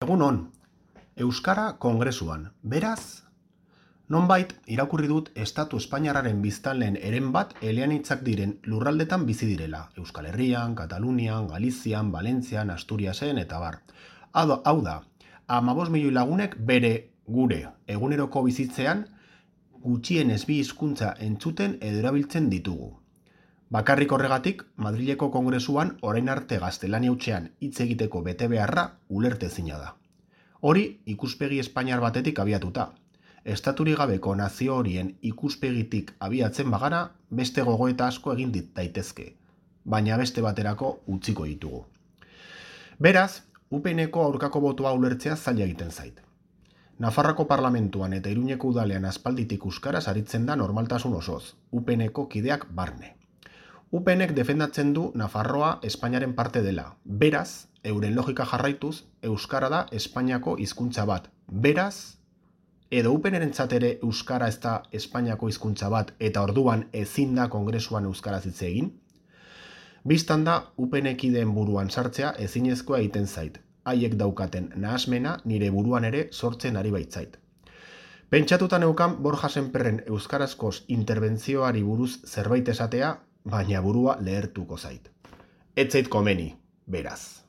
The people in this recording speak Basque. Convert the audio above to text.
Egun on, Euskara Kongresuan. Beraz, nonbait irakurri dut Estatu Espainiarraren biztanleen heren bat eleanitzak diren lurraldetan bizi direla. Euskal Herrian, Katalunian, Galizian, Valentzian, Asturiasen eta bar. Hau da, 15 milioi lagunek gure eguneroko bizitzean gutxienez bi hizkuntza entzuten edo erabiltzen ditugu. Bakarrik horregatik, Madrileko Kongresuan orain arte gaztelania hutsean hitz egiteko betebeharra ulertezina da. Hori ikuspegi espainiar batetik abiatuta. Estaturik gabeko nazio horien ikuspegitik abiatzen bagara, beste gogoeta asko egin daitezke, baina beste baterako utziko ditugu. Beraz, UPNeko aurkako botoa ulertzea zaila egiten zait. Nafarroako parlamentuan eta Iruñeko udalean aspalditik euskaraz aritzen da normaltasun osoz, UPNeko kideak barne. UPNek defendatzen du Nafarroa Espainiaren parte dela. Beraz, euren logika jarraituz, euskara da Espainiako hizkuntza bat. Beraz, edo UPNrentzat ere euskara ez da Espainiako hizkuntza bat eta orduan ezin da Kongresuan euskaraz hitz egin? Bistan da, UPN-kideen buruan sartzea ezinezkoa egiten zait. Haiek daukaten nahasmena nire buruan ere sortzen ari baitzait. Pentsatuta neukan Borja Sémperren euskarazkoz interbentzioari buruz zerbait esatea, baina burua lehertuko zait. Ez zait komeni, beraz.